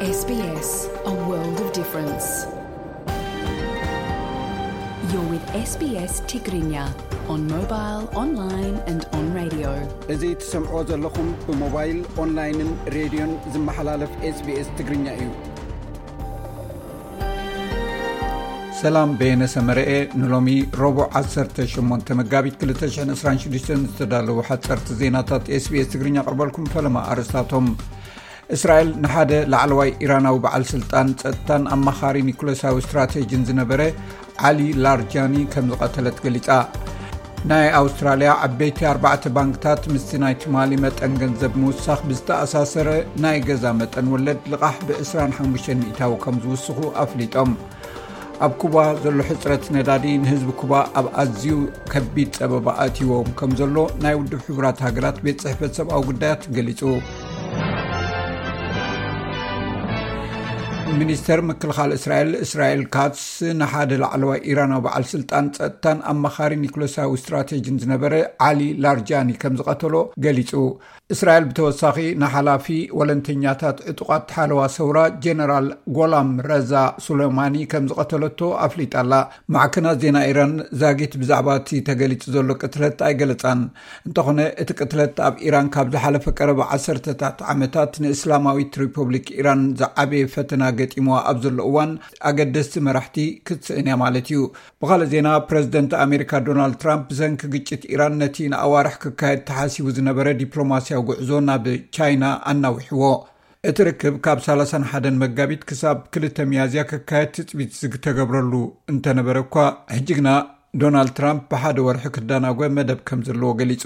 S B S, a world of difference. You're with S B S Tigrinya on mobile, online and on radio. እዚ ትሰምዕዎ ዘለኹም ብሞባይል፣ ኦንላይንን ሬድዮን ዝመሓላለፍ S B S ትግርኛ እዩ። ሰላም፣ በየነ ሰመረኤ። ንሎሚ ረቡዕ ዓሰርተ ሸሞንተ መጋቢት ክልተ ሽሕን ዕስራን ሽዱሽተን ዝተዳለዉ ሓፀርቲ ዜናታት S B S ትግርኛ ኣቕርበልኩም። ፈለማ ኣርእስታቶም። እስራኤል ንሓደ ላዕለዋይ ኢራናዊ በዓል ስልጣን ጸጥታን ኣማኻሪ ኒኩለሳዊ ስትራቴጂን ዝነበረ ዓሊ ላርጃኒ ከም ዝቐተለት ገሊጻ። ናይ ኣውስትራልያ ዓበይቲ ኣርባዕተ ባንክታት ምስቲ ናይ ትማሊ መጠን ገንዘብ ምውሳኽ ብዝተኣሳሰረ ናይ ገዛ መጠን ወለድ ልቓሕ ብ ዕስራን ሓሙሽተን ሚእታዊ ከም ዝውስኹ ኣፍሊጦም። ኣብ ኩባ ዘሎ ሕጽረት ነዳዲ ንህዝቢ ኩባ ኣብ ኣዝዩ ከቢድ ጸበባ ኣእትይዎም ከም ዘሎ ናይ ውድብ ሕቡራት ሃገራት ቤት ጽሕፈት ሰብኣዊ ጉዳያት ገሊጹ። ሚኒስተር ምክልኻል እስራኤል እስራኤል ካትስ ንሓደ ላዕለዋይ ኢራናዊ በዓል ስልጣን ጸጥታን ኣማኻሪ ኒኩለሳዊ ስትራቴጂን ዝነበረ ዓሊ ላርጃኒ ከም ዝቐተሎ ገሊጹ። እስራኤል ብተወሳኺ ንሓላፊ ወለንተኛታት ዕጡቓት ሓለዋ ሰውራ ጀነራል ጎላም ረዛ ሱሌማኒ ከም ዝቐተለቶ ኣፍሊጣ ኣላ። ማዕከናት ዜና ኢራን ዛጊት ብዛዕባ እቲ ተገሊጹ ዘሎ ቅትለት ኣይገለጻን። እንተኾነ እቲ ቅትለት ኣብ ኢራን ካብ ዝሓለፈ ቀረባ ዓሰርተታት ዓመታት ንእስላማዊት ሪፐብሊክ ኢራን ዝዓበየ ፈተና ገጢምዋ ኣብ ዘሎ እዋን ኣገደስቲ መራሕቲ ክትስእን እያ ማለት እዩ። ብኻልእ ዜና፣ ፕረዚደንት ኣሜሪካ ዶናልድ ትራምፕ ብሰንኪ ግጭት ኢራን ነቲ ንኣዋርሕ ክካየድ ተሓሲቡ ዝነበረ ዲፕሎማስያዊ ጉዕዞ ናብ ቻይና ኣናዊሕዎ። እቲ ርክብ ካብ ሰላሳን ሓደን መጋቢት ክሳብ ክልተ ሚያዝያ ክካየድ ትጽቢት ዝተገብረሉ እንተነበረ እኳ፣ ሕጂ ግና ዶናልድ ትራምፕ ብሓደ ወርሒ ክዳናጎ መደብ ከም ዘለዎ ገሊጹ።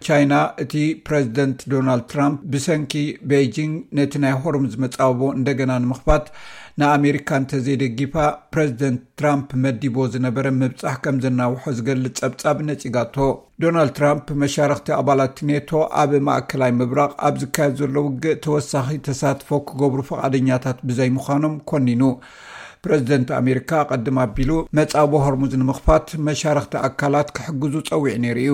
ቻይና፣ እቲ ፕረዚደንት ዶናልድ ትራምፕ ብሰንኪ ቤይጂንግ ነቲ ናይ ሆርሙዝ መጻብቦ እንደገና ንምኽፋት ንኣሜሪካ እንተዘይደጊፋ፣ ፕረዚደንት ትራምፕ መዲቦ ዝነበረ ምብጻሕ ከም ዘናውሖ ዝገልጽ ጸብጻብ ነጺጋቶ። ዶናልድ ትራምፕ መሻርኽቲ ኣባላት ኔቶ ኣብ ማእከላይ ምብራቕ ኣብ ዝካየድ ዘሎ ውግእ ተወሳኺ ተሳትፎ ክገብሩ ፍቓደኛታት ብዘይምዃኖም ኮኒኑ። ፕረዚደንት ኣሜሪካ ኣቐድም ኣቢሉ መጻብቦ ሆርሙዝ ንምኽፋት መሻርኽቲ ኣካላት ክሕግዙ ጸዊዑ ነይሩ እዩ።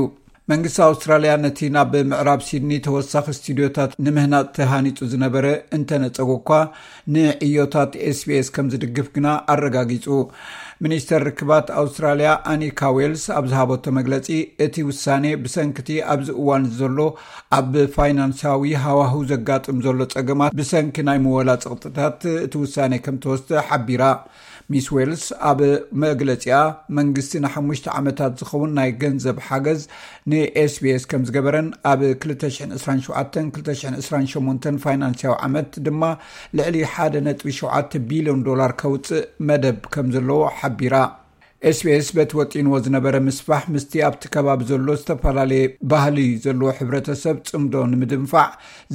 መንግስቲ ኣውስትራልያ ነቲ ናብ ምዕራብ ሲድኒ ተወሳኺ ስቱድዮታት ንምህናጽ ተሃኒጹ ዝነበረ እንተነጸጎ እኳ፣ ንዕዮታት S B S ከም ዝድግፍ ግና ኣረጋጊጹ። ሚኒስተር ርክባት ኣውስትራልያ ኣኒካ ዌልስ ኣብ ዝሃበቶ መግለጺ፣ እቲ ውሳኔ ብሰንክቲ ኣብዚ እዋን ዘሎ ኣብ ፋይናንሳዊ ሃዋህው ዘጋጥም ዘሎ ጸገማት ብሰንኪ ናይ ምወላ ጸቕጥታት እቲ ውሳኔ ከም ተወስደ ሓቢራ። ሚስ ዌልስ ኣብ መግለጺኣ፣ መንግስቲ ንሓሙሽተ ዓመታት ዝኸውን ናይ ገንዘብ ሓገዝ ን S B S ከም ዝገበረን ኣብ ክልተ ሽሕን ዕስራን ሸውዓተን ክልተ ሽሕን ዕስራን ሸሞንተን ፋይናንስያዊ ዓመት ድማ ልዕሊ ሓደ ነጥቢ ሸውዓተ ቢልዮን ዶላር ከውጽእ መደብ ከም ዘለዎ ሓቢራ። S B S በቲ ወጢንዎ ዝነበረ ምስፋሕ ምስቲ ኣብቲ ከባቢ ዘሎ ዝተፈላለየ ባህሊ ዘለዎ ሕብረተሰብ ጽምዶ ንምድንፋዕ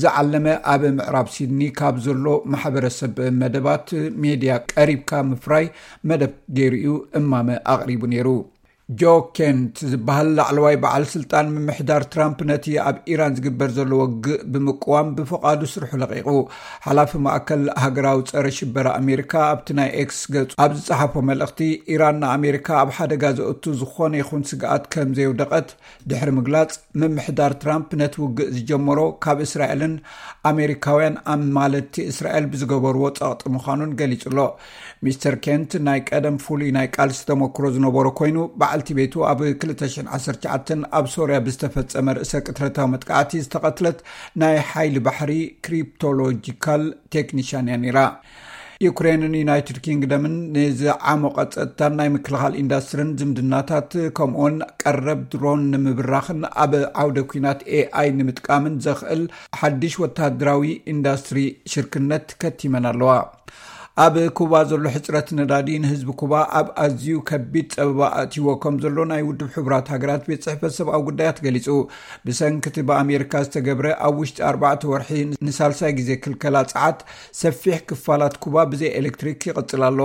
ዝዓለመ ኣብ ምዕራብ ሲድኒ ካብ ዘሎ ማሕበረሰብ መደባት ሜድያ ቀሪብካ ምፍራይ መደብ ገይሩ እዩ እማመ ኣቕሪቡ ነይሩ። ጆ ኬንት ዝበሃል ላዕለዋይ በዓል ስልጣን ምምሕዳር ትራምፕ ነቲ ኣብ ኢራን ዝግበር ዘሎ ውግእ ብምቅዋም ብፍቓዱ ስርሑ ለቒቑ። ሓላፊ ማእከል ሃገራዊ ጸረ ሽበራ ኣሜሪካ ኣብቲ ናይ ኤክስ ገጹ ኣብ ዝጸሓፎ መልእኽቲ፣ ኢራን ንኣሜሪካ ኣብ ሓደጋ ዘእቱ ዝኾነ ይኹን ስግኣት ከም ዘየውደቐት ድሕሪ ምግላጽ፣ ምምሕዳር ትራምፕ ነቲ ውግእ ዝጀመሮ ካብ እስራኤልን ኣሜሪካውያን ኣማለድቲ እስራኤል ብዝገበርዎ ጸቕጢ ምዃኑን ገሊጹ ኣሎ። ሚስተር ኬንት ናይ ቀደም ፍሉይ ናይ ቃልሲ ተመክሮ ዝነበሮ ኮይኑ፣ በዓልቲ ቤቱ ኣብ ክልተ ሽሕን ዓሰርተ ትሽዓተን ኣብ ሶርያ ብዝተፈጸመ ርእሰ ቅትለታዊ መጥቃዕቲ ዝተቐትለት ናይ ሓይሊ ባሕሪ ክሪፕቶሎጂካል ቴክኒሻን እያ ነይራ። ዩክሬንን ዩናይትድ ኪንግደምን ንዝዓሞቐ ጸጥታን ናይ ምክልኻል ኢንዳስትሪን ዝምድናታት፣ ከምኡውን ቀረብ ድሮን ንምብራኽን ኣብ ዓውደ ኲናት A I ንምጥቃምን ዘኽእል ሓድሽ ወተሃደራዊ ኢንዳስትሪ ሽርክነት ከቲመን ኣለዋ። ኣብ ኩባ ዘሎ ሕጽረት ነዳዲ ንህዝቢ ኩባ ኣብ ኣዝዩ ከቢድ ጸበባ ኣእትይዎ ከም ዘሎ ናይ ውድብ ሕቡራት ሃገራት ቤት ጽሕፈት ሰብኣዊ ጉዳያት ገሊጹ። ብሰንኪ እቲ ብኣሜሪካ ዝተገብረ ኣብ ውሽጢ ኣርባዕተ ወርሒ ንሳልሳይ ግዜ ክልከላ ጸዓት፣ ሰፊሕ ክፋላት ኩባ ብዘይ ኤሌክትሪክ ይቕጽል ኣሎ።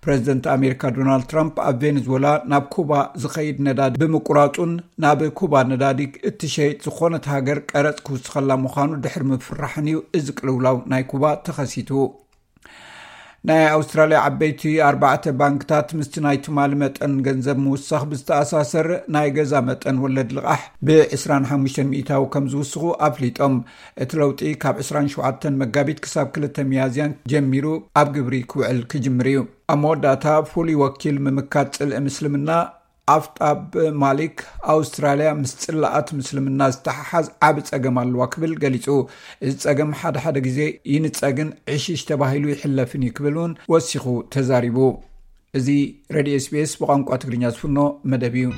ፕረዚደንት ኣሜሪካ ዶናልድ ትራምፕ ኣብ ቬኔዙዌላ ናብ ኩባ ዝኸይድ ነዳዲ ብምቁራጹን ናብ ኩባ ነዳዲ እትሸይጥ ዝኾነት ሃገር ቀረጽ ክውስኸላ ምዃኑ ድሕሪ ምፍርራሕን እዩ እዚ ቅልውላው ናይ ኩባ ተኸሲቱ። ናይ ኣውስትራልያ ዓበይቲ ኣርባዕተ ባንክታት ምስቲ ናይ ትማሊ መጠን ገንዘብ ምውሳኽ ብዝተኣሳሰር ናይ ገዛ መጠን ወለድ ልቓሕ ብ25 ሚእታዊ ከም ዝውስኹ ኣፍሊጦም። እቲ ለውጢ ካብ 27 መጋቢት ክሳብ 2 ሚያዝያን ጀሚሩ ኣብ ግብሪ ክውዕል ክጅምር እዩ። ኣብ መወዳእታ ፍሉይ ወኪል ምምካት ጽልኢ ምስልምና ኣፍጣብ ማሊክ ኣውስትራልያ ምስ ጽላኣት ምስልምና ዝተሓሓዝ ዓቢ ጸገም ኣለዋ ክብል ገሊጹ። እዚ ጸገም ሓደ ሓደ ግዜ ይንጸግን ዕሽሽ ተባሂሉ ይሕለፍን እዩ ክብል እውን ወሲኹ ተዛሪቡ። እዚ ሬድዮ ኤስቢኤስ ብቋንቋ ትግርኛ ዝፍኖ መደብ እዩ።